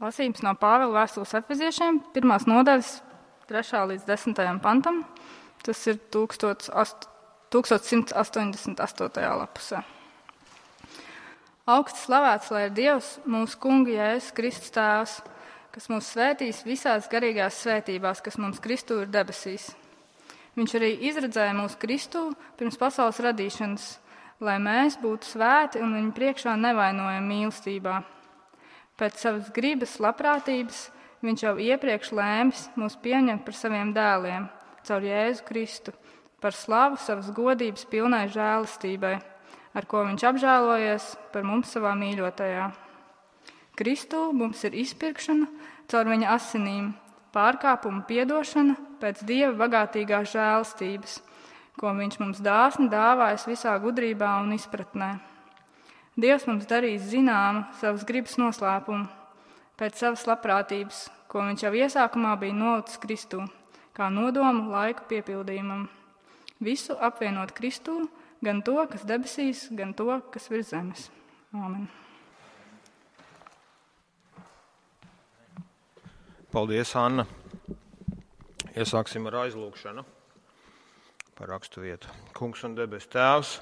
Lasījums no Pāvila vēstules Efeziešiem, 1. nodaļas, 3. līdz 10. pantam. Tas ir 1188. lapusē. Augsti slavēts, lai ir Dievs, mūsu kunga Jēzus Kristus tēvs, kas mūs svētīs visās garīgās svētībās, kas mums Kristū ir debesīs. Viņš arī izredzēja mūsu Kristū pirms pasaules radīšanas, lai mēs būtu svēti un viņa priekšā nevainojami mīlestībā. Pēc savas gribas labprātības viņš jau iepriekš lēmis mūs pieņemt par saviem dēliem, caur Jēzu Kristu, par slavu savas godības pilnai žēlastībai, ar ko viņš apžēlojies par mums savā mīļotajā. Kristū mums ir izpirkšana caur viņa asinīm, pārkāpuma piedošana pēc Dieva bagātīgās žēlastības, ko viņš mums dāsni dāvājas visā gudrībā un izpratnē. Dievs mums darīs zināmu savas gribas noslēpumu, pēc savas labprātības, ko viņš jau iesākumā bija nolicis Kristū, kā nodomu laika piepildījumam. Visu apvienot Kristū, gan to, kas debesīs, gan to, kas virs zemes. Āmen. Paldies, Anna. Iesāksim ar aizlūgšanu par rakstu vietu. Kungs un debes Tēvs,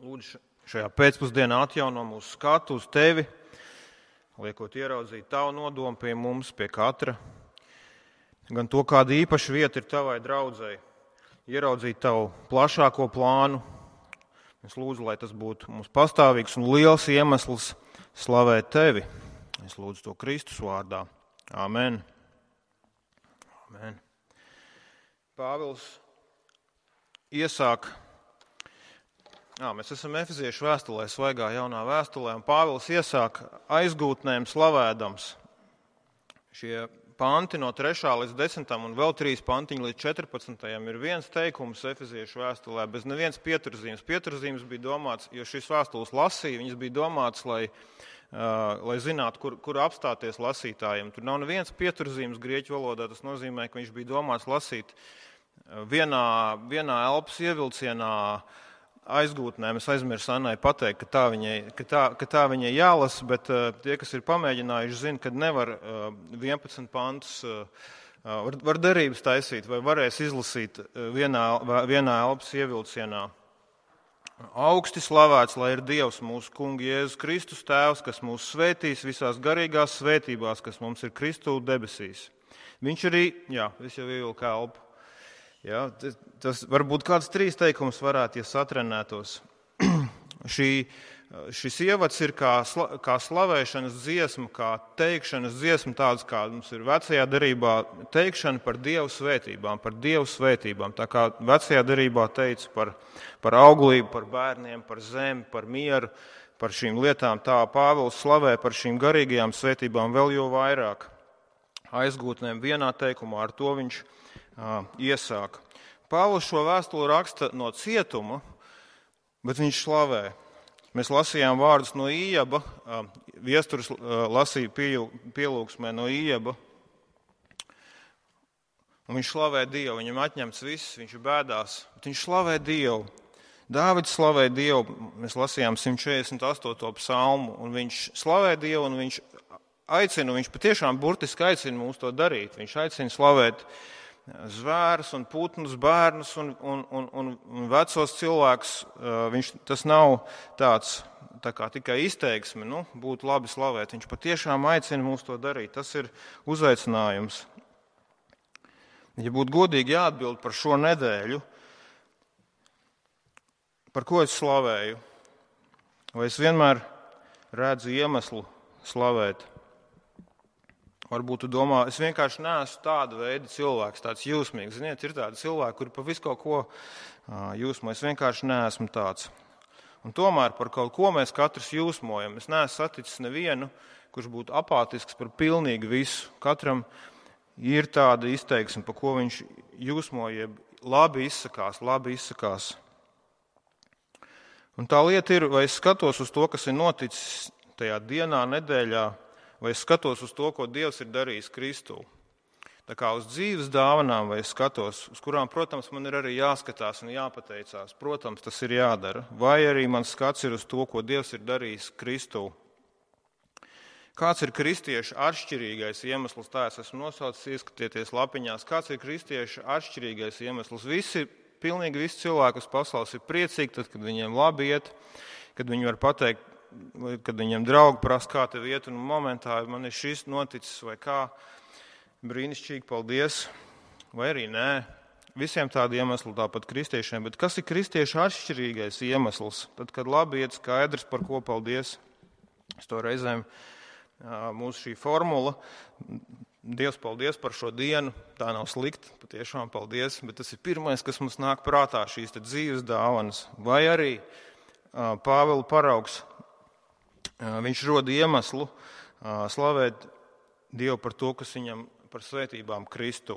lūdzu šajā pēcpusdienā atjauno mūsu skatu uz Tevi, liekot ieraudzīt Tavu nodomu pie mums, pie katra, gan to, kāda īpaša vieta ir Tavai draudzei, ieraudzīt Tavu plašāko plānu. Es lūdzu, lai tas būtu mums pastāvīgs un liels iemesls slavēt Tevi. Es lūdzu to Kristus vārdā. Amen. Amen. Pāvils iesāk, mēs esam Efeziešu vēstulē, svaigā jaunā vēstulē, un Pāvils iesāk aizgūtnēm slavēdams. Šie panti no 3. līdz 10. un vēl 3 pantiņi līdz 14. ir viens teikums Efeziešu vēstulē, bez neviens pieturzīmes. Pieturzīmes bija domāts, jo šis vēstules lasīja, viņas bija domāts, lai zinātu, kur apstāties lasītājiem. Tur nav neviens pieturzīmes grieķu valodā, tas nozīmē, ka viņš bija domāts lasīt vienā elpas ievilcienā aizgūtnēm. Es aizmirsu Annai pateikt, ka tā viņai jālasa, bet tie, kas ir pamēģinājuši, zina, ka nevar 11 pantus, var derības taisīt vai varēs izlasīt vienā elpas ievilcienā. Augsti slavēts, lai ir Dievs, mūsu kunga Jēzus Kristus tēvs, kas mūs svētīs visās garīgās svētībās, kas mums ir Kristū debesīs. Viņš arī, es jau ievilku elpu. Tas varbūt kāds 3 teikums varētu, ja satrenētos. Šis ievads ir kā slavēšanas dziesma, kā teikšanas dziesma, tāds kā mums ir vecajā derībā teikšana par Dievu svētībām. Tā kā vecajā derībā teica par auglību, par bērniem, par zemi, par mieru, par šīm lietām, tā Pāvils slavē par šīm garīgajām svētībām vēl jo vairāk. Aizgūtnēm vienā teikumā, ar to viņš iesāk. Pāvils šo vēstuli raksta no cietuma, bet viņš slavē. Mēs lasījām vārdus no Ījaba, Viesturs lasīja pielūgsmē no Ījaba, un viņš slavē Dievu, viņam atņemts viss, viņš ir bēdās, bet viņš slavē Dievu. Dāvids slavē Dievu, mēs lasījām 148. psalmu, un viņš slavē Dievu, un viņš aicina, viņš patiešām burtiski aicina mūs to darīt, viņš aicina slavēt zvērus un putnus, bērnus un vecos cilvēkus. Tas nav tāds tā kā tikai izteiksme, būtu labi slavēt. Viņš patiešām aicina mūs to darīt. Tas ir uzaicinājums. Ja būtu godīgi jāatbild par šo nedēļu, par ko es slavēju, vai es vienmēr redzu iemeslu slavēt? Varbūt tu domā, es vienkārši neesmu tāda veida cilvēks, tāds jūsmīgs. Ziniet, ir tādi cilvēki, kuri pa visu kaut ko jūsmo. Es vienkārši neesmu tāds. Un tomēr par kaut ko mēs katrs jūsmojam. Es neesmu saticis nevienu, kurš būtu apātisks par pilnīgi visu. Katram ir tāda izteiksme, pa ko viņš jūsmoja, labi izsakās. Un tā lieta ir, vai es skatos uz to, kas ir noticis tajā dienā, nedēļā, vai es skatos uz to, ko Dievs ir darījis Kristū. Tā kā uz dzīves dāvanām, vai es skatos, uz kurām, protams, man ir arī jāskatās un jāpateicās. Protams, tas ir jādara. Vai arī mans skats ir uz to, ko Dievs ir darījis Kristū. Kāds ir kristiešu atšķirīgais iemesls? Tā es esmu nosaucis, ieskatieties lapiņās. Kāds ir kristiešu atšķirīgais iemesls? Pilnīgi visi cilvēki uz pasaules ir priecīgi, tad, kad viņiem labi iet, kad viņi var pateikt, kad viņiem draugi prasa, kā tev iet, un momentā man ir šis noticis, vai kā, brīnišķīgi, paldies, vai arī nē. Visiem tādi iemesli tāpat kristiešiem, bet kas ir kristiešu atšķirīgais iemesls? Tad, kad labi iet, skaidrs, par ko paldies. Es to reizēm mūsu šī formula, Dievs paldies par šo dienu, tā nav slikti, patiešām paldies, bet tas ir pirmais, kas mums nāk prātā, šīs dzīves dāvanas. Vai arī Pāvila paraugs, viņš roda iemeslu slavēt Dievu par to, kas viņam par svētībām Kristu.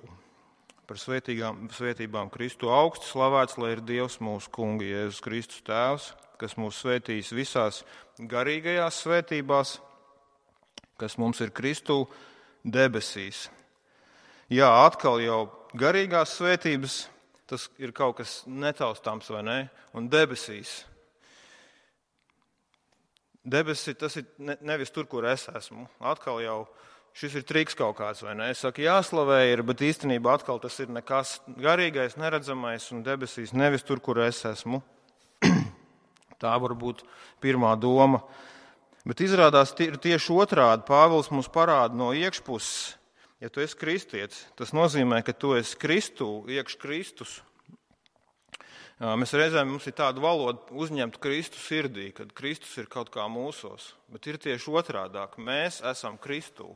Par svētībām Kristu augstu slavēts, lai ir Dievs mūsu kunga Jēzus Kristus tēvs, kas mūs svētīs visās garīgajās svētībās, kas mums ir Kristu debesīs. Jā, atkal jau garīgās svētības, tas ir kaut kas netaustāms, vai ne? Un debesīs. Debesī tas ir nevis tur, kur es esmu. Atkal jau šis ir triks kaut kāds, vai ne? Es saku, jāslavē ir, bet īstenībā atkal tas ir nekas garīgais, neredzamais un debesīs nevis tur, kur es esmu. Tā var būt pirmā doma. Bet izrādās ir tieši otrādi. Pāvils mums parāda no iekšpuses, ja tu esi kristietis, tas nozīmē, ka tu esi Kristu, iekš Kristus. Mēs reizēm mums ir tāda valoda uzņemt Kristu sirdī, kad Kristus ir kaut kā mūsos, bet ir tieši otrādāk. Mēs esam Kristū.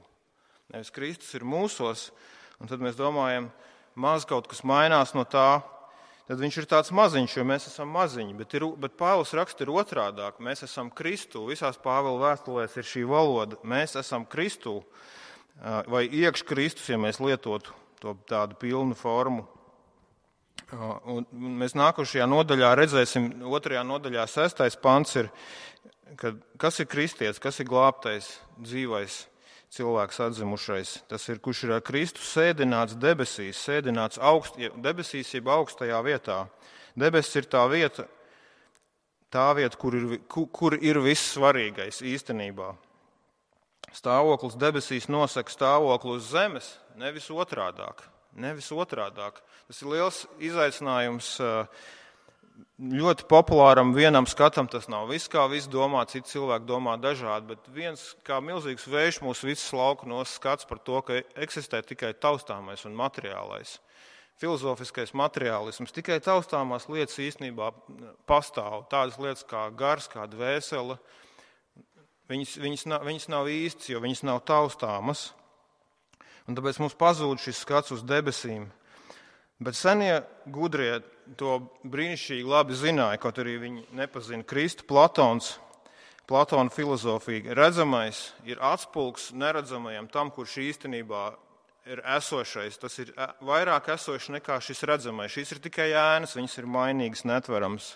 Nevis Kristus ir mūsos, un tad mēs domājam, maz kaut kas mainās no tā, tad viņš ir tāds maziņš, jo mēs esam maziņi, bet Pāvils raksta ir otrādāk. Mēs esam Kristū, visās Pāvila vēstulēs ir šī valoda, mēs esam Kristū, vai iekš Kristus, ja mēs lietotu to tādu pilnu formu. Un mēs nākošajā nodaļā redzēsim, 2. nodaļā 6. pants ir, kas ir kristietis, kas ir glābtais, dzīvais cilvēks atzimušais. Tas ir, kurš ir ar Kristu sēdināts debesīs, sēdināts debesīs jeb augstajā vietā. Debesis ir tā vieta, kur ir viss svarīgais īstenībā. Stāvoklis debesīs nosaka stāvokli uz zemes, nevis otrādāk. Tas ir liels izaicinājums ļoti populāram vienam skatam. Tas nav viss, kā viss domā, citi cilvēki domā dažādi, bet viens kā milzīgs vējš mūs visus lauku skats par to, ka eksistē tikai taustāmais un materiālais. Filozofiskais materiālisms, tikai taustāmās lietas īstenībā pastāv. Tādas lietas kā gars, kā dvēsele, viņas nav īstas, jo viņas nav taustāmas. Un tāpēc mums pazūd šis skats uz debesīm. Bet senie gudrie to brīnišķīgi labi zināja, kaut arī viņi nepazina Kristu. Platona filozofija redzamais ir atspulgs neredzamajam tam, kurš īstenībā ir esošais. Tas ir vairāk esošs nekā šis redzamais. Šīs ir tikai ēnas, viņas ir mainīgas, netverams.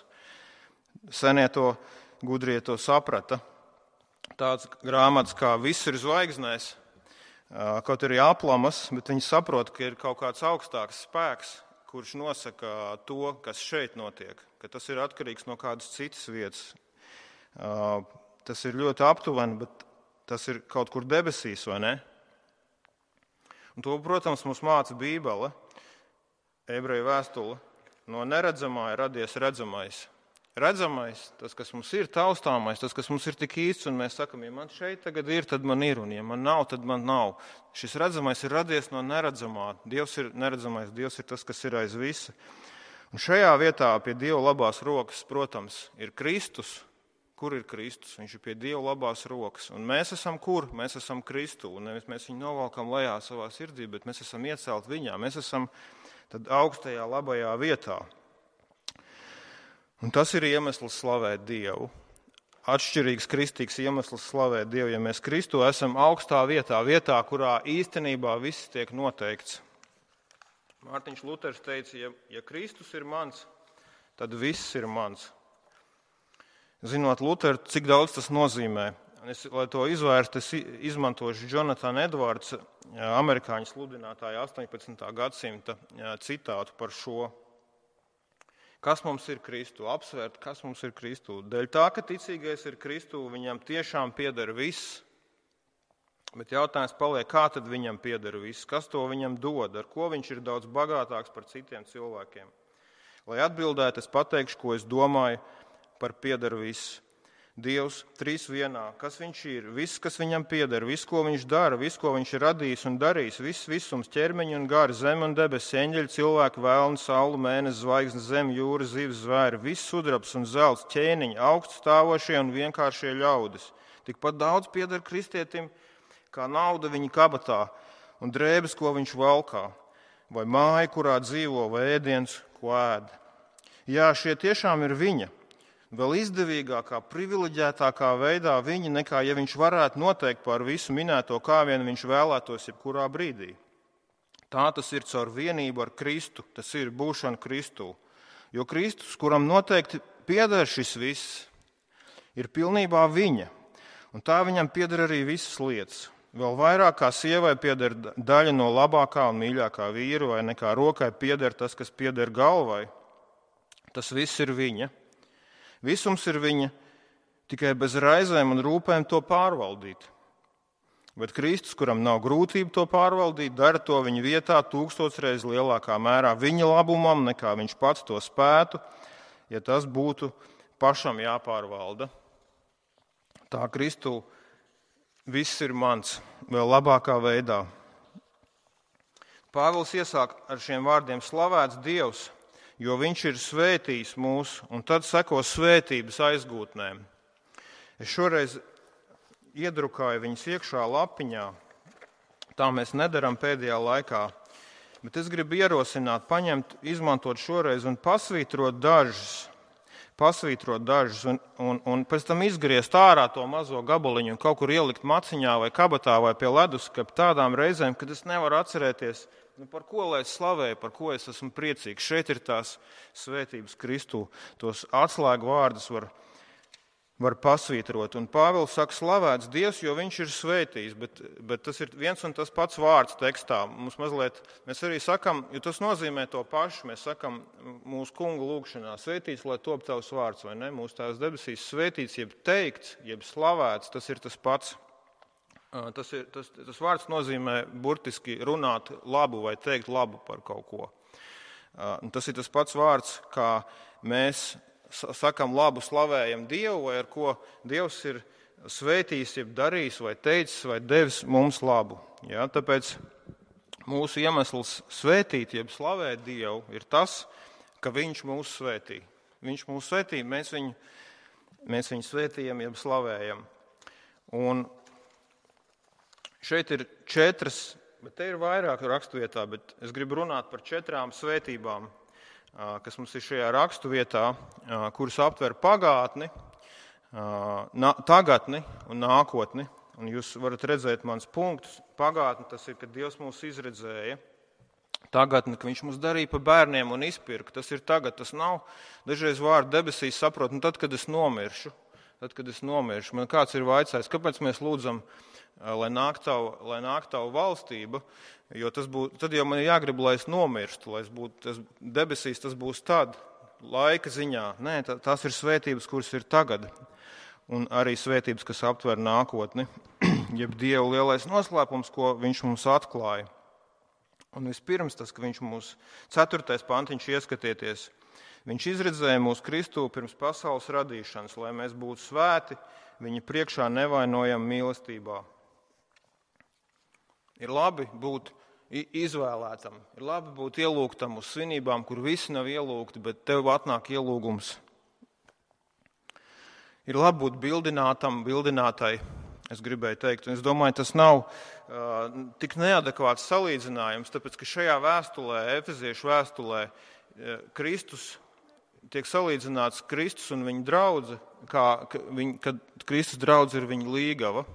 Senie to gudrie to saprata. Tāds grāmatas kā Viss ir zvaigznēs, kaut arī aplamas, bet viņi saprot, ka ir kaut kāds augstāks spēks, kurš nosaka to, kas šeit notiek, ka tas ir atkarīgs no kādas citas vietas. Tas ir ļoti aptuveni, bet tas ir kaut kur debesīs, vai ne? Un to, protams, mums māca Bībele, ebreju vēstule. No neredzamā ir radies redzamais. Redzamais, tas, kas mums ir taustāmais, tas, kas mums ir tik īsts, un mēs sakam, ja man šeit tagad ir, tad man ir, un ja man nav, tad man nav. Šis redzamais ir radies no neredzamā. Dievs ir neredzamais, Dievs ir tas, kas ir aiz visa. Un šajā vietā pie Dieva labās rokas, protams, ir Kristus. Kur ir Kristus? Viņš ir pie Dieva labās rokas. Un mēs esam kur? Mēs esam Kristu. Un nevis mēs viņu novalkam lejā savā sirdī, bet mēs esam iecelt viņā. Mēs esam tad augstajā labajā vietā. Un tas ir iemesls slavēt Dievu. Atšķirīgs kristīgs iemesls slavēt Dievu, ja mēs Kristu esam augstā vietā, kurā īstenībā viss tiek noteikts. Mārtiņš Luters teica, ja Kristus ir mans, tad viss ir mans. Zinot Luteru, cik daudz tas nozīmē. Lai to izvērstu, es izmantošu Jonathan Edwards, amerikāņu sludinātāja 18. gadsimta citātu par šo. Kas mums ir Kristu? Apsvērt, kas mums ir Kristu. Dēļ tā, ka ticīgais ir Kristu, viņam tiešām pieder viss. Bet jautājums paliek, kā tad viņam pieder viss, kas to viņam dod, ar ko viņš ir daudz bagātāks par citiem cilvēkiem. Lai atbildētu, es pateikšu, ko es domāju par pieder viss. Dievs, trīs vienā, kas viņš ir, viss, kas viņam pieder, viss, ko viņš dara, viss, ko viņš ir radījis un darījis, viss visums, ķermeņi un gari, zeme un debesis, eņģeļi, cilvēki, vēlni, saule, mēnesis, zvaigznes, zeme, jūra, zivs, zvēri, viss sudrabs un zelts, ķēniņi, augstu stāvošie un vienkāršie ļaudis. Tikpat daudz pieder kristietim, kā nauda viņa kabatā un drēbes, ko viņš valkā, vai māja, kurā dzīvo, vai ēdiens, ko ēd. Jā, šie tiešām ir viņa. Vēl izdevīgākā, privileģētākā veidā viņa, nekā ja viņš varētu noteikt par visu minēto, kā vien viņš vēlētos jebkurā brīdī. Tā tas ir caur vienību ar Kristu, tas ir būšana Kristū. Jo Kristus, kuram noteikti pieder šis viss, ir pilnībā viņa, un tā viņam pieder arī visas lietas. Vēl vairāk kā sievai pieder daļa no labākā un mīļākā vīra, vai nekā rokai pieder tas, kas pieder galvai. Tas viss ir viņa. Visums ir viņa, tikai bez raizēm un rūpēm to pārvaldīt. Bet Kristus, kuram nav grūtību to pārvaldīt, dara to viņa vietā 1000 reiz lielākā mērā viņa labumam, nekā viņš pats to spētu, ja tas būtu pašam jāpārvalda. Tā Kristū viss ir mans, vēl labākā veidā. Pāvils iesāk ar šiem vārdiem slavēts Dievs, jo viņš ir svētījis mūs, un tad seko svētības aizgūtnēm. Es šoreiz iedrukāju viņas iekšā lapiņā, tā mēs nedaram pēdējā laikā, bet es gribu ierosināt, izmantot šoreiz un pasvītrot dažus, un pēc tam izgriezt ārā to mazo gabaliņu un kaut kur ielikt maciņā vai kabatā vai pie leduskapa tādām reizēm, kad es nevaru atcerēties, par ko lai es slavēju, par ko es esmu priecīgs. Šeit ir tās svētības Kristū, tos atslēgu vārdus var pasvītrot. Un Pāvils saka, slavēts Dievs, jo viņš ir svētījis, bet tas ir viens un tas pats vārds tekstā. Mēs arī sakam, jo tas nozīmē to pašu, mēs sakam mūsu kunga lūgšanā, svētīts, lai top tavs vārds, vai ne? Mūsu tās debesīs svētīts, jeb teikts, jeb slavēts, tas ir tas pats. Tas vārds nozīmē burtiski runāt labu vai teikt labu par kaut ko. Tas ir tas pats vārds, kā mēs sakam labu, slavējam Dievu, vai ar ko Dievs ir svētījis, jeb darījis, vai teicis, vai devis mums labu. Ja? Tāpēc mūsu iemesls svētīt, jeb slavēt Dievu, ir tas, ka Viņš mūs svētī. Viņš mūs svētī, mēs viņu svētījam, jeb slavējam. Un šeit ir 4, bet te ir vairāk raksturvietā, bet es gribu runāt par 4 svētībām, kas mums ir šajā raksturvietā, kuras aptver pagātni, tagadni un nākotni. Un jūs varat redzēt mans punktus. Pagātni tas ir, kad Dievs mūs izredzēja. Tagadni, ka Viņš mūs darīja par bērniem un izpirka. Tas ir tagad, tas nav. Dažreiz vārdu debesīs saprot, tad, kad es nomiršu. Man kāds ir vaicājis, kāpēc mēs lūdzam, lai nāk tavu valstība, jo tad jau man ir jāgrib, lai es nomirstu, debesīs tas būs tad, laika ziņā. Nē, tās ir svētības, kuras ir tagad, un arī svētības, kas aptver nākotni, jeb Dieva lielais noslēpums, ko Viņš mums atklāja. Un vispirms tas, ka Viņš mūs, 4. pantiņš ieskatieties, Viņš izredzēja mūs Kristū pirms pasaules radīšanas, lai mēs būtu svēti, Viņa priekšā nevainojam mīlestībā. Ir labi būt izvēlētam, ir labi būt ielūgtam uz svinībām, kur visi nav ielūgti, bet tev atnāk ielūgums. Ir labi būt bildinātai, es gribēju teikt. Un es domāju, tas nav tik neadekvāts salīdzinājums, tāpēc, ka šajā vēstulē, Efeziešu vēstulē, Kristus tiek salīdzināts Kristus un viņa draudze, kad Kristus draudze ir viņa līgava.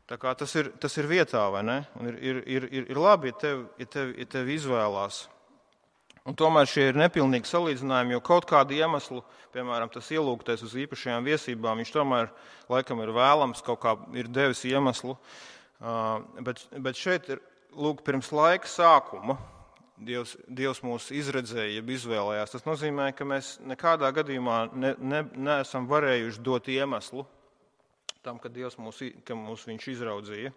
Tā kā tas ir vietā, vai ne? Un ir labi, ja tevi izvēlās. Un tomēr šie ir nepilnīgi salīdzinājumi, jo kaut kādu iemeslu, piemēram, tas ielūgtais uz īpašajām viesībām, viņš tomēr laikam ir vēlams, kaut kā ir devis iemeslu. Bet šeit ir, pirms laika sākuma Dievs mūs izredzēja, jeb izvēlējās. Tas nozīmē, ka mēs nekādā gadījumā neesam varējuši dot iemeslu tam, ka Dievs mūs viņš izraudzīja.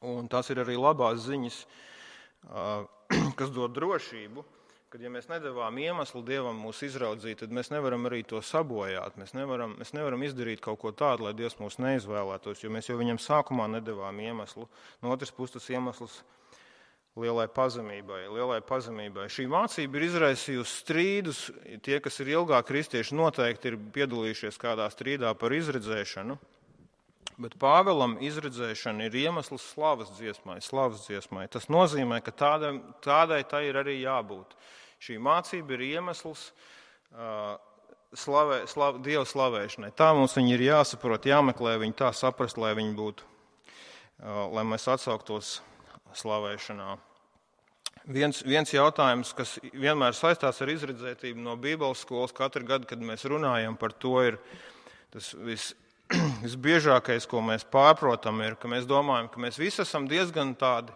Un tās ir arī labās ziņas, kas dod drošību, kad ja mēs nedavām iemeslu Dievam mūs izraudzīt, tad mēs nevaram arī to sabojāt. Mēs nevaram izdarīt kaut ko tādu, lai Dievs mūs neizvēlētos, jo mēs jau viņam sākumā nedavām iemeslu. No otras puses tas iemesls lielai pazemībai. Šī mācība ir izraisījusi strīdus. Tie, kas ir ilgāk kristieši, noteikti ir piedalījušies kādā strīdā par izredzēšanu. Bet Pāvelam izredzēšana ir iemesls slavas dziesmai. Tas nozīmē, ka tādai tai ir arī jābūt. Šī mācība ir iemesls Dieva slavēšanai. Tā mums viņi ir jāsaprot, jāmeklē viņi tā saprast, lai viņi būtu, lai mēs atsauktos slavēšanā. Viens jautājums, kas vienmēr saistās ar izredzētību no Bībeles skolas, katru gadu, kad mēs runājam par to, ir tas visbiežākais, ko mēs pārprotam, ir, ka mēs domājam, ka mēs visi esam diezgan tādi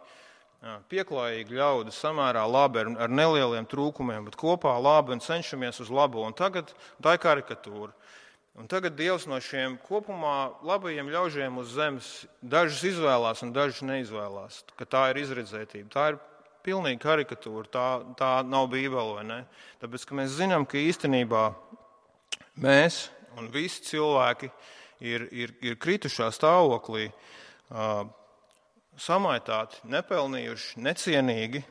pieklājīgi ļaudi, samērā labi, ar nelieliem trūkumiem, bet kopā labi un cenšamies uz labo. Un tagad tā ir karikatūra. Un tagad Dievs no šiem kopumā labajiem ļaužiem uz zemes dažus izvēlās un dažus neizvēlās, ka tā ir izredzētība. Tā ir pilnīgi karikatūra, tā nav Bībele, vai ne? Tāpēc, ka mēs zinām, ka īstenībā mēs un visi cilvēki ir kritušā stāvoklī, samaitāti, nepelnījuši, necienīgi.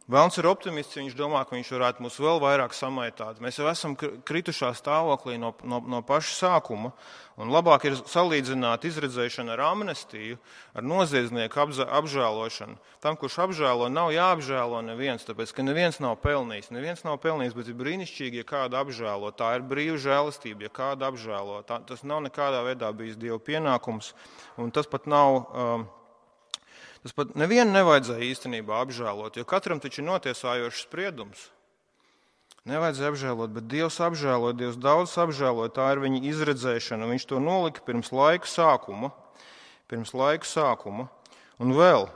Velns ir optimists, viņš domā, ka viņš varētu mūs vēl vairāk samaitāt. Mēs jau esam kritušā stāvoklī no paša sākuma, un labāk ir salīdzināt izredzēšanu ar amnestiju, ar noziedznieku apžēlošanu. Tam, kurš apžēlo, nav jāapžēlo neviens, tāpēc, ka neviens nav pelnījis, bet ir brīnišķīgi, ja kādu apžēlo. Tā ir brīva žēlastība, ja kādu apžēlo. Tas nav nekādā veidā bijis Dieva pienākums, un tas pat nav... Tas pat nevienu nevajadzēja īstenībā apžēlot, jo katram taču ir notiesājošs spriedums. Nevajadzēja apžēlot, bet Dievs apžēloja, Dievs daudz apžēloja, tā ir viņa izredzēšana. Viņš to nolika pirms laiku sākuma. Un vēl,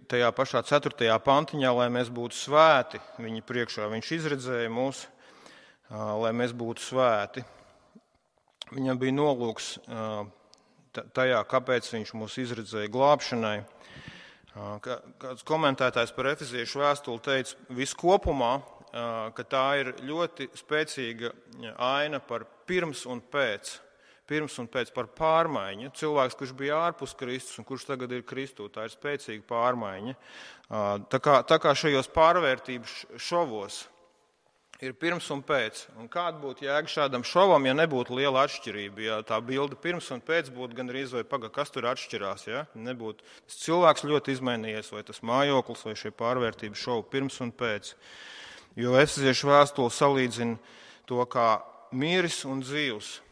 tajā pašā 4. pantiņā, lai mēs būtu svēti viņa priekšā, viņš izredzēja mūs, lai mēs būtu svēti. Viņam bija nolūks tajā, kāpēc viņš mūs izredzēja glābšanai. Kāds komentētājs par Efeziešu vēstuli teica viskopumā, ka tā ir ļoti spēcīga aina par pirms un pēc, par pārmaiņu. Cilvēks, kurš bija ārpus Kristus un kurš tagad ir Kristū, tā ir spēcīga pārmaiņa. Tā kā šajos pārvērtības šovos ir pirms un pēc. Un kāda būtu jēga šādam šovam, ja nebūtu liela atšķirība? Ja tā bilde pirms un pēc būtu gandrīz vai kas tur atšķirās, ja? Nebūtu. Tas cilvēks ļoti izmainījies, vai tas mājoklis, vai šie pārvērtības šovi pirms un pēc. Jo Efeziešu vēstule salīdzina to kā miris un dzīvs.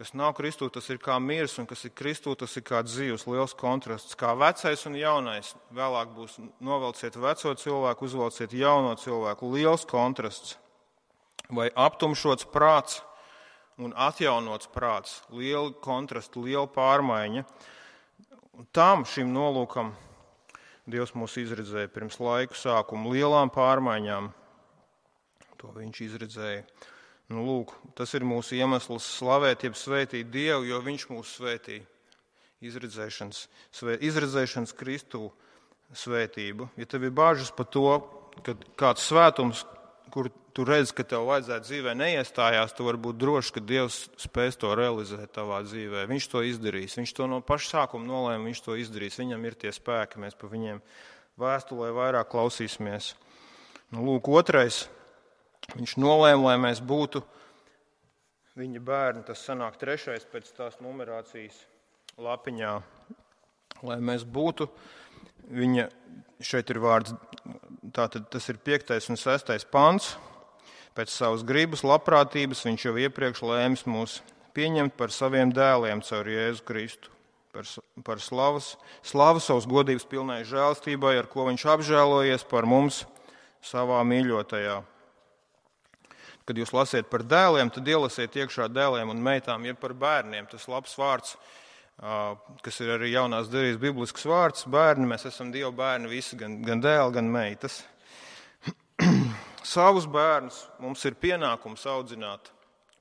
Kas nav Kristū, tas ir kā miris, un kas ir Kristū, tas ir kā dzīvs, liels kontrasts. Kā vecais un jaunais, vēlāk būs novelciet veco cilvēku, uzvelciet jauno cilvēku, liels kontrasts. Vai aptumšots prāts un atjaunots prāts, liela kontrasta, liela pārmaiņa. Un šim nolūkam Dievs mūs izredzēja pirms laiku sākuma, lielām pārmaiņām. To viņš izredzēja. Nu, lūk, tas ir mūsu iemesls slavēt, jeb svētīt Dievu, jo viņš mūs svētīja. Izredzēšanas Kristū svētību. Ja tev ir bāžas par to, ka kāds svētums, kur tu redzi, ka tev vajadzētu dzīvē neiestājās, tu vari būt drošs, ka Dievs spēs to realizēt tavā dzīvē. Viņš to izdarīs. Viņš to no paša sākuma nolēma, viņš to izdarīs. Viņam ir tie spēki, mēs pa viņiem vēstulē vairāk klausīsimies. Nu, lūk, otrais. Viņš nolēma, lai mēs būtu viņa bērni, tas sanāk 3. pēc tās numerācijas lapiņā, lai mēs būtu viņa, šeit ir vārds, tātad tas ir 5. un 6. pants, pēc savas gribas, labprātības, viņš jau iepriekš lēmis mūs pieņemt par saviem dēliem caur Jēzu Kristu, par slavu savas godības pilnai žēlstībai, ar ko viņš apžēlojies par mums savā mīļotajā. Kad jūs lasiet par dēliem, tad ielasiet iekšā dēliem un meitām, ja par bērniem. Tas labs vārds, kas ir arī jaunās derības biblisks vārds. Bērni, mēs esam Dieva bērni visi, gan dēli, gan meitas. Savus bērnus mums ir pienākums audzināt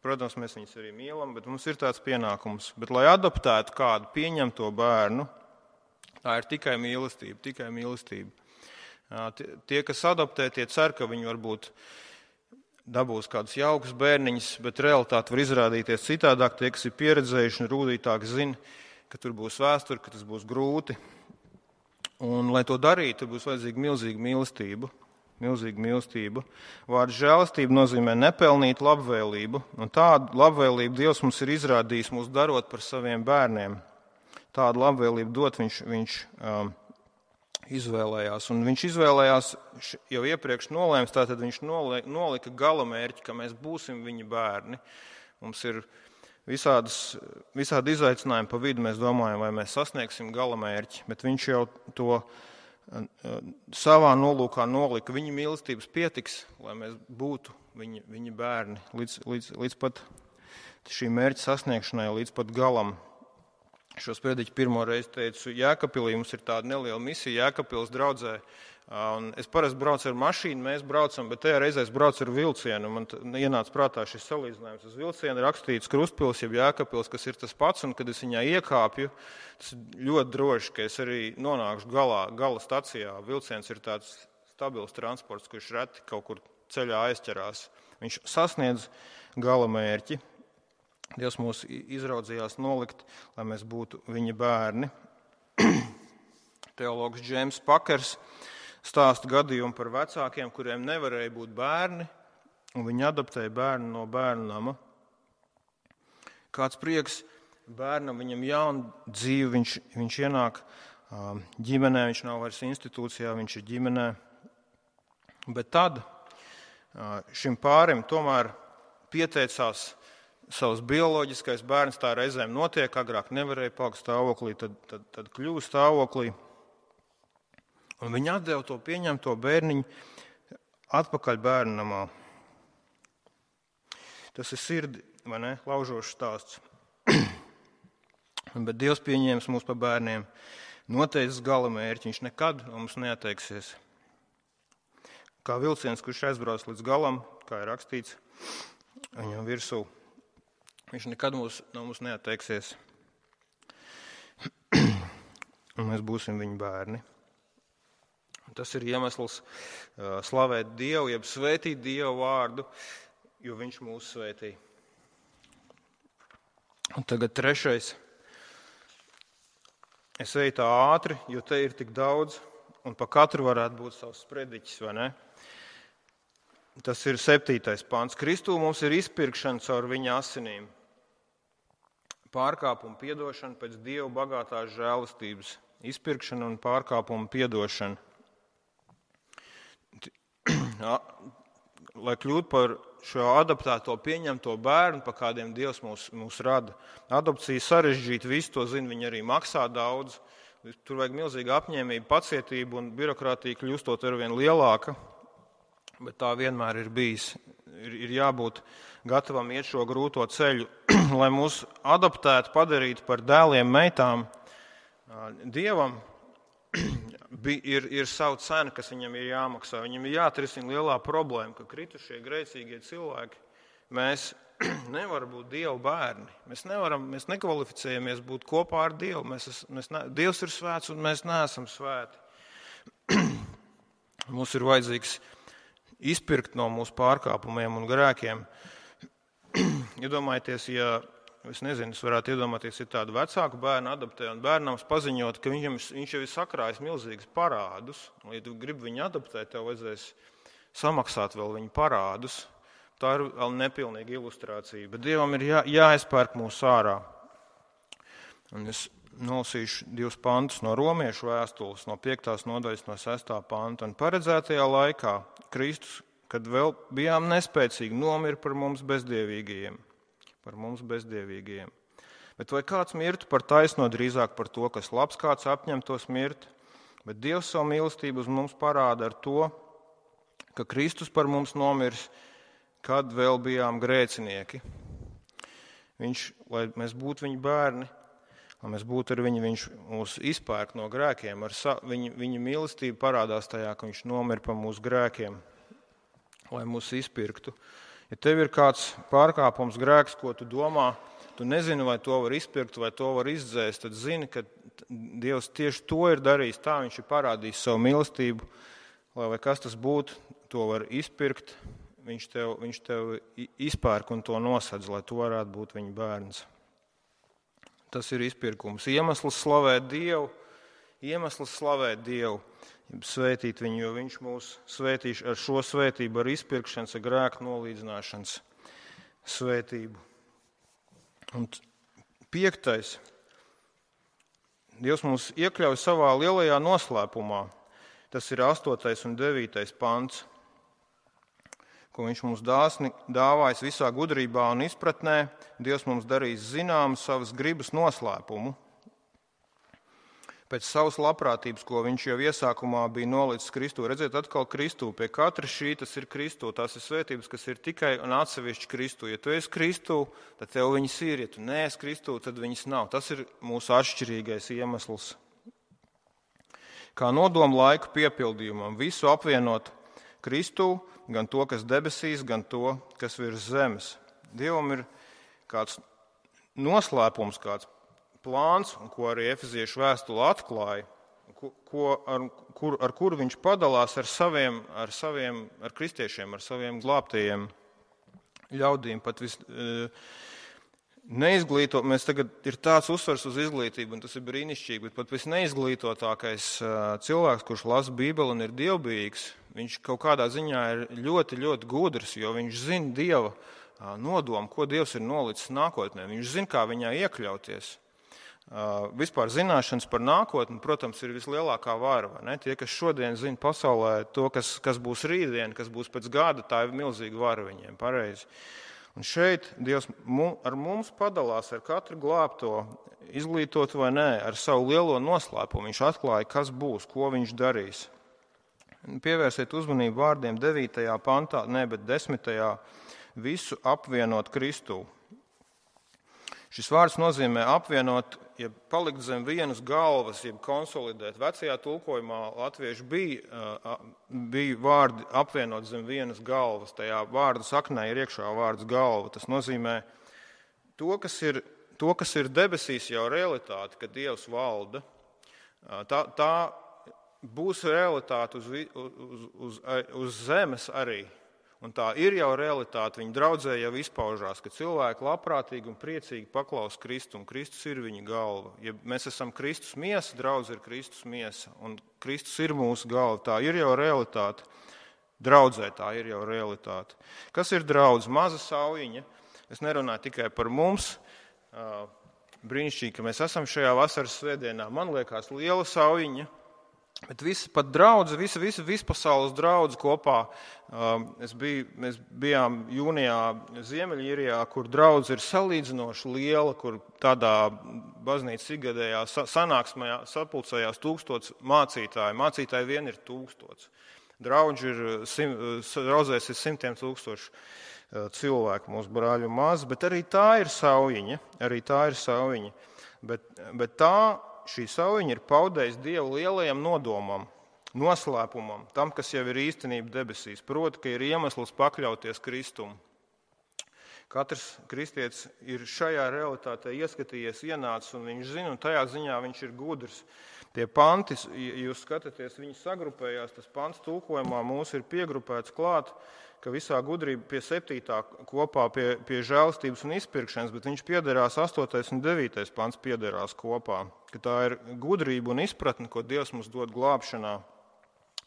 Protams, mēs viņus arī mīlam, bet mums ir tāds pienākums. Bet, lai adoptētu kādu pieņemto bērnu, tā ir tikai mīlestība. Tie, kas adoptē, tie cer, ka viņi varbūt dabūs kādus jaukus bērniņus, bet realitāte var izrādīties citādāk. Tie, kas ir pieredzējuši un rūdītāki, zina, ka tur būs vēsture, ka tas būs grūti. Un, lai to darītu, būs vajadzīga milzīga mīlestība. Vārds žēlastība nozīmē nepelnīt labvēlību, un tādu labvēlību Dievs mums ir izrādījis mūs darot par saviem bērniem. Tādu labvēlību dot viņš izvēlējās, un viņš izvēlējās jau iepriekš nolēms, tātad viņš nolika galamērķi, ka mēs būsim viņa bērni. Mums ir visādi izaicinājumi pa vidu, mēs domājam, vai mēs sasniegsim galamērķi, bet viņš jau to savā nolūkā nolika. Viņa mīlestības pietiks, lai mēs būtu viņa bērni līdz pat šī mērķa sasniegšanai, līdz pat galam. Šo sprediķu pirmo reizi teicu Jēkabpilī, mums ir tāda neliela misija Jēkabpils draudzē. Un es parasti braucu ar mašīnu, mēs braucam, bet tajā reizē es braucu ar vilcienu. Man ienāca prātā šis salīdzinājums. Uz vilcienu rakstīts Krustpils, jeb Jēkabpils, kas ir tas pats, un kad es viņā iekāpju, tas ir ļoti droši, ka es arī nonākšu gala stacijā. Vilciens ir tāds stabils transports, kurš reti kaut kur ceļā aizķerās. Viņš sasniedz gala mērķi. Dievs mūs izraudzījās nolikt, lai mēs būtu viņa bērni. Teologs Džeims Pakers stāsta gadījumu par vecākiem, kuriem nevarēja būt bērni, un viņi adoptēja bērnu no bērnu nama. Kāds prieks bērnam, viņam jauna dzīve, viņš ienāk ģimenē, viņš nav vairs institūcijā, viņš ir ģimenē. Bet tad šim pārim tomēr pieteicās savs bioloģiskais bērns, tā reizēm notiek, agrāk nevarēja palikt stāvoklī, tad kļūst stāvoklī. Un viņi atdeva to pieņemto bērniņu atpakaļ bērnu namā. Tas ir sirdi, vai ne, laužošs stāsts. Bet Dievs pieņēmis mūs par bērniem, noteicis gala mērķi, viņš nekad no mums neatteiksies. Kā vilciens, kurš aizbrauc līdz galam, kā ir rakstīts viņam virsū, viņš nekad no mums neatteiksies. Un mēs būsim viņa bērni. Tas ir iemesls slavēt Dievu, jeb svētīt Dievu vārdu, jo viņš mūs svētī. Un tagad trešais. Es eju tā ātri, jo te ir tik daudz, un pa katru varētu būt savs sprediķis, vai ne? Tas ir 7. pants. Kristū mums ir izpirkšana caur viņa asinīm. Pārkāpuma piedošana pēc Dieva bagātās žēlastības. Izpirkšana un pārkāpuma piedošana. Lai kļūtu par šo adoptēto pieņemto bērnu, pa kādiem Dievs mūs rada. Adopcija sarežģīta, visi to zina, viņi arī maksā daudz. Tur vajag milzīga apņēmība, pacietība un birokrātija kļūstot arvien lielāka. Bet tā vienmēr ir bijis. Ir jābūt gatavam iet šo grūto ceļu, lai mūs adoptētu, padarītu par dēliem, meitām. Dievam ir savu cenu, kas viņam ir jāmaksā. Viņam ir jāatrisina lielā problēma, ka kritušie grēcīgie cilvēki, mēs nevaram būt Dieva bērni. Mēs nekvalificējamies būt kopā ar Dievu. Dievs ir svēts un mēs neesam svēti. Mums ir vajadzīgs izpirkt no mūsu pārkāpumiem un grēkiem. Iedomājieties, es varētu iedomāties, ir tādu vecāku bērnu adoptē un bērnams paziņot, ka viņš jau ir sakrājis milzīgus parādus. Un, ja tu gribi viņu adoptēt, tev vajadzēs samaksāt vēl viņu parādus. Tā ir vēl nepilnīga ilustrācija, bet Dievam ir jāizpērk mūs ārā. Un es nolasīšu 2 pantus no Romiešu vēstules, no 5. nodaļas, no 6. panta. Un paredzētajā laikā Kristus, kad vēl bijām nespēcīgi, nomira par mums bezdievīgajiem. Bet vai kāds mirtu par taisno, drīzāk par to, kas labs, kāds apņemtos mirt? Bet Dievs savu mīlestību uz mums parāda ar to, ka Kristus par mums nomirs, kad vēl bijām grēcinieki. Viņš, lai mēs būtu viņa bērni, lai mēs būtu ar viņu, viņš mūs izpērk no grēkiem. Viņa mīlestība parādās tajā, ka viņš nomira par mūsu grēkiem, lai mūs izpirktu. Ja tev ir kāds pārkāpums, grēks, ko tu domā, tu nezini, vai to var izpirkt, vai to var izdzēst, tad zini, ka Dievs tieši to ir darījis. Tā viņš ir parādījis savu mīlestību, lai kas tas būtu, to var izpirkt. Viņš tev izpērk un to nosedz, lai tu varētu būt viņa bērns. Tas ir izpirkums. Iemesls slavēt Dievu, svētīt viņu, jo viņš mūs svētīs ar šo svētību, ar izpirkšanas, ar grēku nolīdzināšanas svētību. Un 5. Dievs mūs iekļauj savā lielajā noslēpumā. Tas ir 8. un 9. pants, ko viņš mums dāsni dāvājas visā gudrībā un izpratnē. Dievs mums darīs zinām savas gribas noslēpumu. Pēc savas labprātības, ko viņš jau iesākumā bija nolicis Kristū. Redziet, atkal Kristū. Pie katra šī tas ir Kristū. Tās ir svētības, kas ir tikai un atsevišķi Kristū. Ja tu esi Kristū, tad tev viņas ir. Ja tu neesi Kristū, tad viņas nav. Tas ir mūsu atšķirīgais iemesls. Kā nodomu laiku piepildījumam, visu apvienot Kristū, gan to, kas debesīs, gan to, kas virs zemes. Dievam ir kāds noslēpums, kāds plāns, ko arī Efeziešu vēstule atklāja, ar kuru viņš padalās ar kristiešiem, ar saviem glābtajiem ļaudīm. Pat neizglītot, mēs tagad ir tāds uzsvars uz izglītību, un tas ir brīnišķīgi, bet pat visneizglītotākais cilvēks, kurš lasa Bībeli un ir dievbijīgs, viņš kaut kādā ziņā ir ļoti, ļoti gudrs, jo viņš zina Dieva nodomu, ko Dievs ir nolicis nākotnē. Viņš zina, kā viņā iekļauties. Vispār zināšanas par nākotni, protams, ir vislielākā vara. Tie, kas šodien zina pasaulē to, kas būs rītdien, kas būs pēc gada, tā ir milzīga vara viņiem, pareizi. Un šeit Dievs ar mums padalās ar katru glābto, izglītot vai nē, ar savu lielo noslēpumu. Viņš atklāja, kas būs, ko viņš darīs. Pievērsiet uzmanību vārdiem 9. pantā, bet 10. visu apvienot Kristū. Šis vārds nozīmē apvienot, jeb palikt zem vienas galvas, jeb konsolidēt. Vecajā tulkojumā latviešu bija vārdi apvienot zem vienas galvas. Tajā vārdu saknē ir iekšā vārds galva. Tas nozīmē to, kas ir debesīs jau realitāte, ka Dievs valda. Tā būs realitāte uz zemes arī. Un tā ir jau realitāte, viņa draudzē jau izpaužās, ka cilvēki labprātīgi un priecīgi paklaus Kristu, un Kristus ir viņa galva. Ja mēs esam Kristus miesa, draudze ir Kristus miesa, un Kristus ir mūsu galva, tā ir jau realitāte. Draudzē tā ir jau realitāte. Kas ir draudze? Maza saujiņa. Es nerunāju tikai par mums. Brīnišķīgi, ka mēs esam šajā vasaras svētdienā. Man liekas, liela saujiņa. Bet pat draudze, vispasaules draudze kopā. Mēs bijām jūnijā Ziemeļīrijā, kur draudze ir salīdzinoši liela, kur tādā baznīcas ikgadējā sanāksmē sapulcējās 1000 mācītāji. Mācītāji vien ir 1000. Draudzēs ir 100 000 cilvēku, mūsu brāļu un māsas, bet arī tā ir saujiņa. Bet šī saujiņa ir paudējis Dievu lielajam nodomam, noslēpumam, tam, kas jau ir īstenība debesīs, proti, ka ir iemesls pakļauties Kristum. Katrs kristietis ir šajā realitātē ieskatījies, ienācis, un viņš zina, un tajā ziņā viņš ir gudrs. Tie panti, ja jūs skatāties, viņi sagrupējās, tas pants tulkojumā mūs ir piegrupēts klāt, ka visā gudrība pie 7. kopā pie žēlastības un izpirkšanas, bet viņš piederās 8. un 9. pants piederās kopā, ka tā ir gudrība un izpratne, ko Dievs mums dod glābšanā,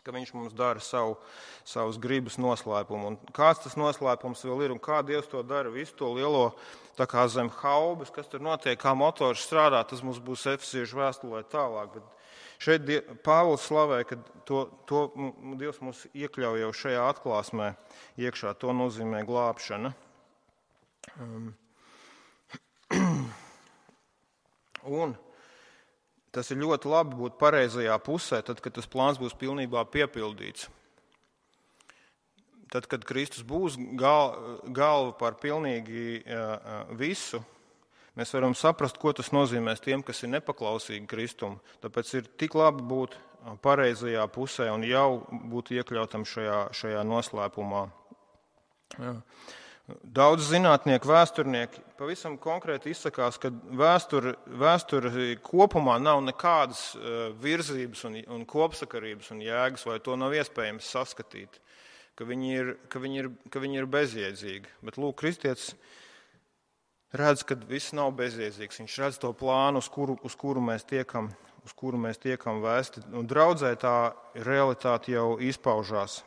ka viņš mums dara savus gribas noslēpumu. Un kāds tas noslēpums vēl ir un kā Dievs to dara, visu to lielo tā kā zem haubes, kas tur notiek, kā motors strādā, tas mums būs Efeziešu vēstulē tālāk. Bet šeit Pāvils slavē, ka to Dievs mums iekļauj jau šajā atklāsmē iekšā. To nozīmē glābšana. Un tas ir ļoti labi būt pareizajā pusē, tad, kad tas plāns būs pilnībā piepildīts. Tad, kad Kristus būs galva par pilnīgi visu, mēs varam saprast, ko tas nozīmēs tiem, kas ir nepaklausīgi Kristum. Tāpēc ir tik labi būt pareizajā pusē un jau būt iekļautam šajā noslēpumā. Daudz zinātnieki, vēsturnieki pavisam konkrēti izsakās, ka vēsture kopumā nav nekādas virzības un kopsakarības un jēgas, vai to nav iespējams saskatīt, ka viņi ir bezjēdzīgi. Bet lūk, kristietis redz, ka viss nav bezjēdzīgs. Viņš redz to plānu, uz kuru mēs tiekam vēsti. Un draudzē tā realitāte jau izpaužās.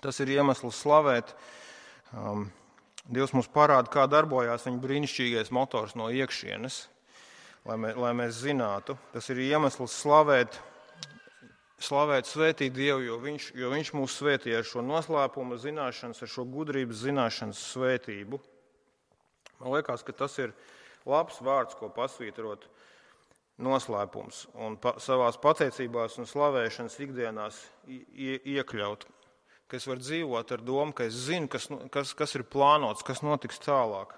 Tas ir iemesls slavēt. Dievs mums parāda, kā darbojās viņa brīnišķīgais motors no iekšienes, lai mēs zinātu. Tas ir iemesls slavēt, svētīt Dievu, jo viņš mūs svētīja ar šo noslēpuma zināšanas, ar šo gudrības zināšanas svētību. Man liekas, ka tas ir labs vārds, ko pasvītrot noslēpums un savās pateicībās un slavēšanas ikdienās iekļaut. Ka es varu dzīvot ar domu, ka es zinu, kas ir plānots, kas notiks tālāk.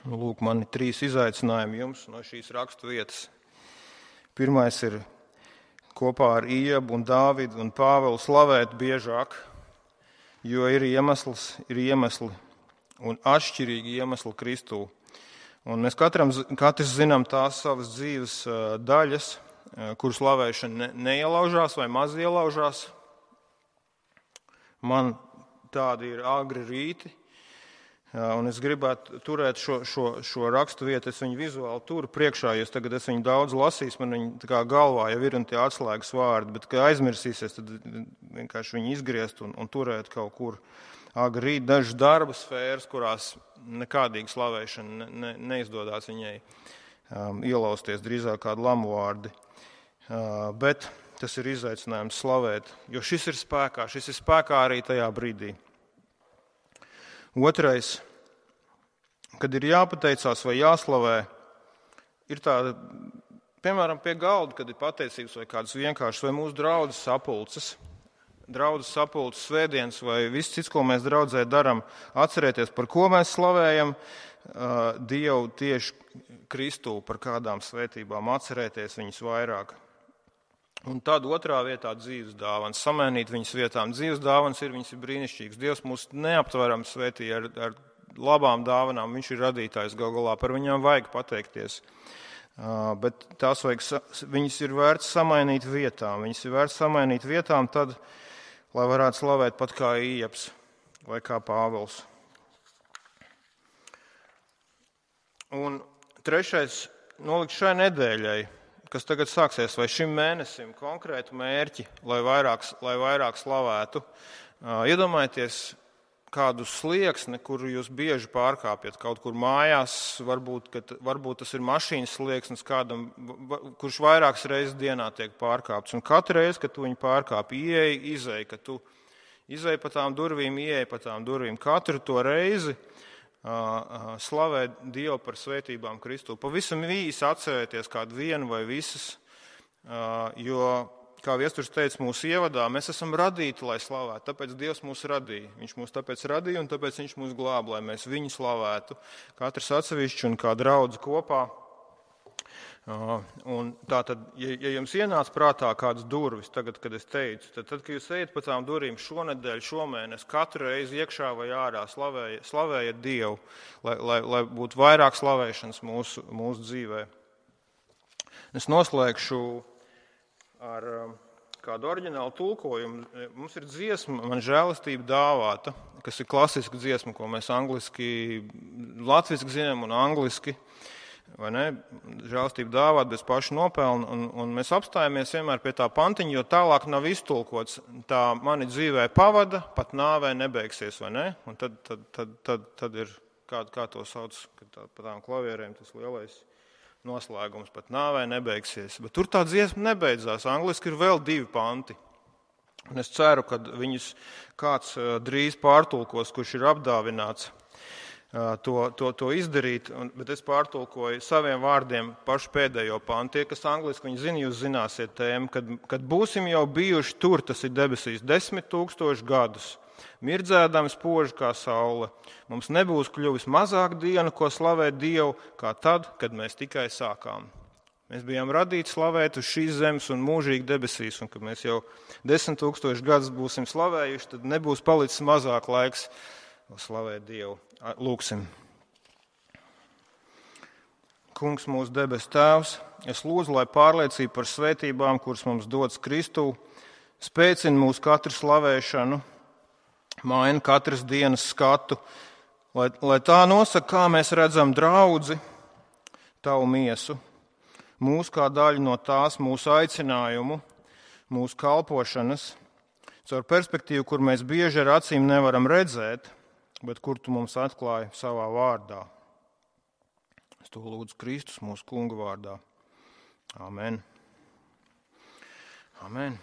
Lūk, man ir 3 izaicinājumi jums no šīs rakstu vietas. Pirmais ir kopā ar Iebu un Dāvidu un Pāvelu slavēt biežāk, jo ir iemesli un atšķirīgi iemesli Kristū. Un mēs katrs zinām tās savas dzīves daļas, kur slavēšana neielaužās vai maz ielaužās. Man tādi ir agri rīti, un es gribētu turēt šo rakstu vietu, es viņu vizuāli turu priekšā, jo tagad es viņu daudz lasīšu, man viņa tā kā galvā jau ir un tie atslēgas vārdi, bet, kad aizmirsīsies, tad vienkārši viņu izgriezt un turēt kaut kur. Agri rīt dažas darba sfēras, kurās nekādīgi slavēšana neizdodas viņai ielausties, drīzāk kādi lamuvārdi. Bet tas ir izaicinājums slavēt, jo šis ir spēkā arī tajā brīdī. Otrais, kad ir jāpateicās vai jāslavē, ir tāda, piemēram, pie galda, kad ir pateicības vai kādas vienkāršas, vai mūsu draudzes sapulces, svētdienas vai viss cits, ko mēs draudzē darām, atcerēties, par ko mēs slavējam Dievu tieši Kristū, par kādām svētībām, atcerēties viņas vairāk. Un tad otrā vietā dzīves dāvanas, samainīt viņas vietām. Dzīves dāvanas viņas ir brīnišķīgas. Dievs mūs neaptveram svētīja ar labām dāvanām, viņš ir radītājs gal galā, par viņām vajag pateikties. Bet viņas ir vērts samainīt vietām. Viņas ir vērts samainīt vietām tad, lai varētu slavēt pat kā Ieps vai kā Pāvils. Un trešais, nolikt šai nedēļai, kas tagad sāksies, vai šim mēnesim konkrētu mērķi, lai vairāk slavētu. Iedomājieties kādu slieksni, kuru jūs bieži pārkāpjat kaut kur mājās, varbūt tas ir mašīnas slieksnis kādam, kurš vairākas reizes dienā tiek pārkāpts. Un katru reizi, kad tu viņu pārkāpi, izej, ka tu izej pa tām durvīm, ieej pa tām durvīm. Katru to reizi slavē Dievu par svētībām Kristū. Pavisam īsi atcerēties kādu vienu vai visas, jo, kā Viesturs teica mūsu ievadā, mēs esam radīti, lai slavētu, tāpēc Dievs mūs radīja. Viņš mūs tāpēc radīja un tāpēc viņš mūs glāb, lai mēs viņu slavētu. Katrs atsevišķi un kā draudze kopā. Un tātad, ja jums ienāca prātā kādas durvis, tagad, kad es teicu, tad, kad jūs ejat pa tām durvīm šonedēļ, šomēnes, katru reizi iekšā vai ārā slavējiet Dievu, lai būtu vairāk slavēšanas mūsu dzīvē. Es noslēgšu ar kādu oriģinālu tulkojumu. Mums ir dziesma, man žēlastība dāvāta, kas ir klasiska dziesma, ko mēs latviski zinām un angliski. Vai ne? Žēlastība dāvāt bez paša nopelna, un mēs apstājamies vienmēr pie tā pantiņa, jo tālāk nav iztulkots. Tā mani dzīvē pavada, pat nāvē nebeigsies, vai ne? Un tad ir, kā to sauc, pa tām klavierēm tas lielais noslēgums, pat nāvē nebeigsies. Bet tur tā dziesma nebeidzās. Angliski ir vēl 2 panti. Un es ceru, ka viņus kāds drīz pārtulkos, kurš ir apdāvināts. To izdarīt, bet es pārtulkoju saviem vārdiem pašu pēdējo pantu. Tie, kas angliski viņi zina, jūs zināsiet tēmu, kad būsim jau bijuši tur, tas ir debesīs 10 000 gadus, mirdzēdami spoži kā saule. Mums nebūs kļuvis mazāk dienu, ko slavēt Dievu, kā tad, kad mēs tikai sākām. Mēs bijām radīti slavēt uz šīs zemes un mūžīgi debesīs, un kad mēs jau 10 000 gadus būsim slavējuši, tad nebūs palicis mazāk laiks slavēt Dievu. Lūksim. Kungs, mūsu debes Tēvs, es lūdzu, lai pārliecība par svētībām, kuras mums dodas Kristū, spēcina mūsu katru slavēšanu, maina katras dienas skatu, lai tā nosaka, kā mēs redzam draudzi, tavu miesu, mūsu kā daļu no tās, mūsu aicinājumu, mūsu kalpošanas, caur perspektīvu, kur mēs bieži ar acīm nevaram redzēt, bet kur tu mums atklāji savā vārdā. Es to lūdzu Kristus mūsu Kunga vārdā. Amen. Amen.